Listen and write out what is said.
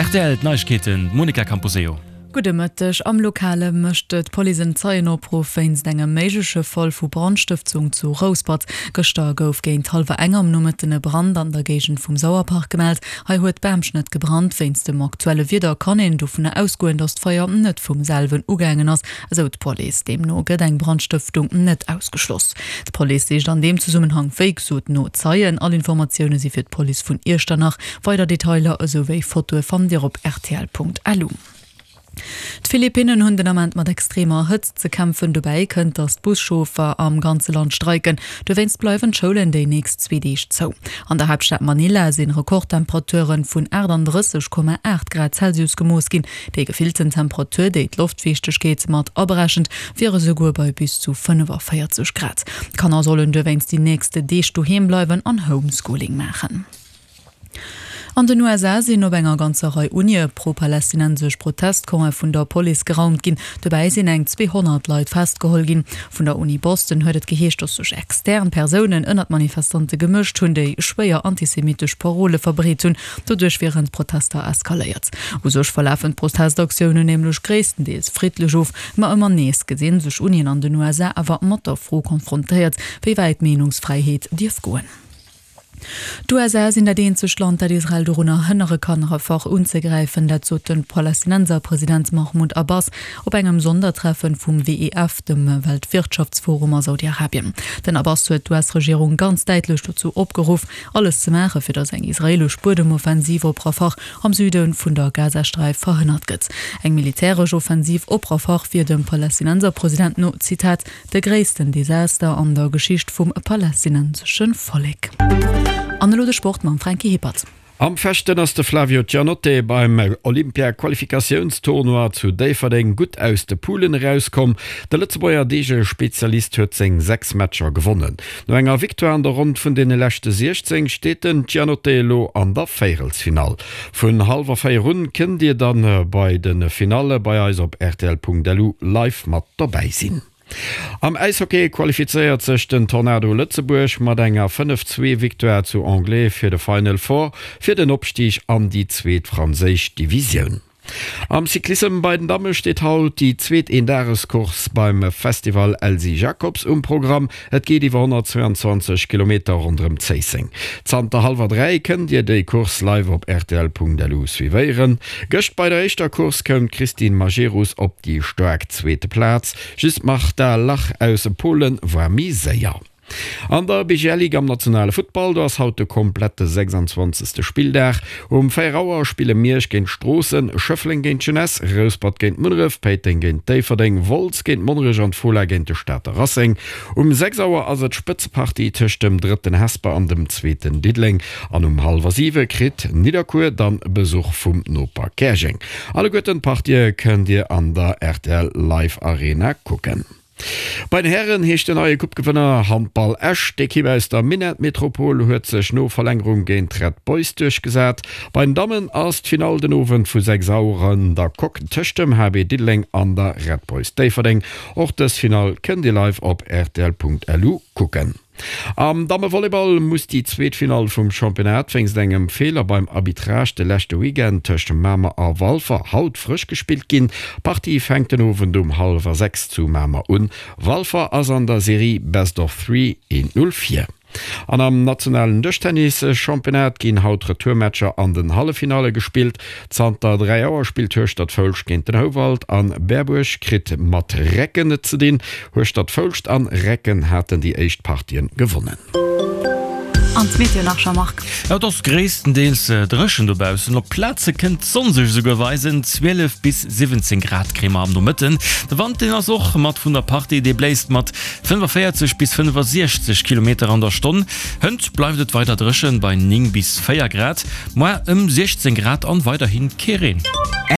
Rtl, D'Neiegkeeten, d'Monica Camposeo. Gudde Mëtteg. Am Lokale mécht d'Police en Zeienopruff wéinst engem méigleche Fall vu Brandstëftung zu Rouspert. Gëschter gouf géint hallwer eng am Nomëtten e Brand an der Géigend vum Sauerpark gemellt. Hei huet Bamschnëtt gebrannt. Wéinst dem aktuelle Wieder kann een dovunner ausgoen, datt d'Feier net vum selwen ugaangen ass, esou d'Police. Deemno gëtt eng Brandstëftung net ausgeschloss. D'Police sicht an deem Zesummenhang wéi gesot no Zeien. All Informatioune si fir d'Police vun Iechternach. Weider Detailer esou wéi Fotoe fannt Dir op rtl.lu. D'Philippinnen hunn den Ament mat extremer Hëtzt ze kämpfen. Dobäi kënnt, datt d'Buschauffer am ganze Land streiken. Dowéinst bleiwen d'Schoulen déi nächst zwee Deeg zou. An der Haaptstad Manila si Rekordtemperature vun 38,8 Grad Celsius gemooss ginn. Déi gefillten Temperatur, déi d'Loftfiichtegkeet mat aberechent, wier esouguer bei bis zu 45 Grad. D'Kanner sollen dowéinst déi nächst Deeg doheem bleiwen an Homeschooling maachen. An den USA sinn op enger ganzer Rei Unie pro-palästinensesch Protestcampe vun der Police geraumt ginn. Dobäi sinn eng 200 Leit festgeholl ginn. Vun der Uni Boston huet et geheescht, datt sech extern Persounen ënner d'Manifestante gemëscht hunn, déi schwéier antisemittesch Parole verbreet hunn. Doduerch wieren d'Protester eskaléiert. U sech verlafen d'Protestaktiounen nämlech gréisstendeels friddlech of, ma ëmmer nees gesi sech Unien an den USA awer mat der Fro konfrontéiert, wéi wäit d'Meenungsfräiheet dierf goen. D'USA sinn dat eenzegt Land, dat Israel dorunner hënnere kann, Rafah unzegräifen. Dat sot de Palästinenserpresident Mahmoud Abbas op engem Sondertreffen vum WEF, dem Weltwirtschaftsforum a Saudi-Arabien. Den Abbas huet d'US-Regierung ganz däitlech dozou opgeruff, alles ze maachen, fir datt eng israeelesch Buedemoffensiv op Rafah am Süde vun der Gazasträif verhënnert gëtt. Eng militäresch Offensiv op Rafah wier dem Palästinenserpresident no, Zitat, De gréissten Desaster an der Geschicht vum palästinensesche Vollek. An elo de Sport mam Franky Hippert. Am Fechten ass de Flavio Giannotte beim Olympia-Qualifikatiounstournoi zu Déifferdeng gutt aus de Poulen erauskomm. De Lëtzebuerger Deege-Spezialist huet seng 6 Matcher gewonnen. No enger Victoire an der Ronn vun deene leschte 16 steet den Giannotte elo an der Véierelsfinall. Vun hallwer 4 un kënnt dir dann bei de Finalle bei eis op rtl.lu live mat dobäi sinn. Am Äishockey qualifizéiert sech den Tornado Lëtzebuerg mat enger 5, 2 Victoire zu Anglet fir de Final Four fir den Opstig an déi zweet franséisch Divisioun. Am Cyclissem bei den Damme steet haut déi zweet Eendagescourse beim Festival Elsy Jacobs um Programm. Et geet iwwer 122 Kilometer ronderëm Zéisseng. Zanter hallwer 3 kënnt Dir déi Course live op rtl.lu suivéieren. Gëscht bei der éischter Course koum d'Christine Majerus op déi staark zweete Plaz. Just d'Marta Lach aus Polen war méi séier. An der BGL Ligue am nationale Futtball, do ass haut de komplette 26. Spilldag. Um 4 Auer spille Miersch géint Stroossen, Schëffleng géint d'Jeunesse, Rouspert géint Munneref, Péiteng géint Déifferdeng, Wolz géint Monnerech an d'Fola géint de Stater Racing. Um 6 Auer ass et d'Spëtzepartie tëscht dem drëtten Hesper an dem zweeten Diddeleng an um hallwer 7 kritt Nidderkuer dann Besuch vum Noper Käerjeng. Alleguerten d'Partië kënnt Dir an der rtl Live Arena kucken. Bei den Hären heescht den neie Coupe-Gewënner Handball Esch. D'Ekipp aus der Minett-Metropol huet sech no Verlängerung géint d'Red Boys duerchgesat. Bei den Dammen ass d'Finall den Owend vu 6 Auer an der Coque tëscht dem HB Diddeleng an der Red Boys Déifferdeng. Och dës Finall kënnt Dir live op rtl.lu kucken. Am Dammevolleyball muss déi zweet Finall vum Championnat wéinst engem Feeler beim Arbitrage de leschte Weekend tëscht Mamer a Walfer haut frësch gespillt ginn. D'Partie fänkt den Owend um hallwer 6 zu Mamer un. Walfer ass an der Serie Best of Three 1, 0 vir. An am nationalen Dëschtennis-Championnat ginn haut Retourmatcher an den Halleffinalle gespillt. Zanter 3 Auer spillt Hueschtert-Foulscht géint den Houwald an Berbuerg kritt mat Recken et ze dinn. Hueschtert-Foulscht an Recken haten déi éischt Partien gewonnen. An d'Meteo nach, Jean-Marc? Et ass gréisstendeels dréchen dobaussen, op Plaze kënnt d'Sonn sech esouguer weisen. 12 bis 17 Grad kréie mer am Nomëtten. De Wand, deen ass och mat vun der Partie, dee bléist mat 45 bis 65 Kilometer an der Stonn. Hënt bleift et weider dréchen bei 9 bis 4 Grad, moar ëm 16 Grad an weiderhi kee Reen.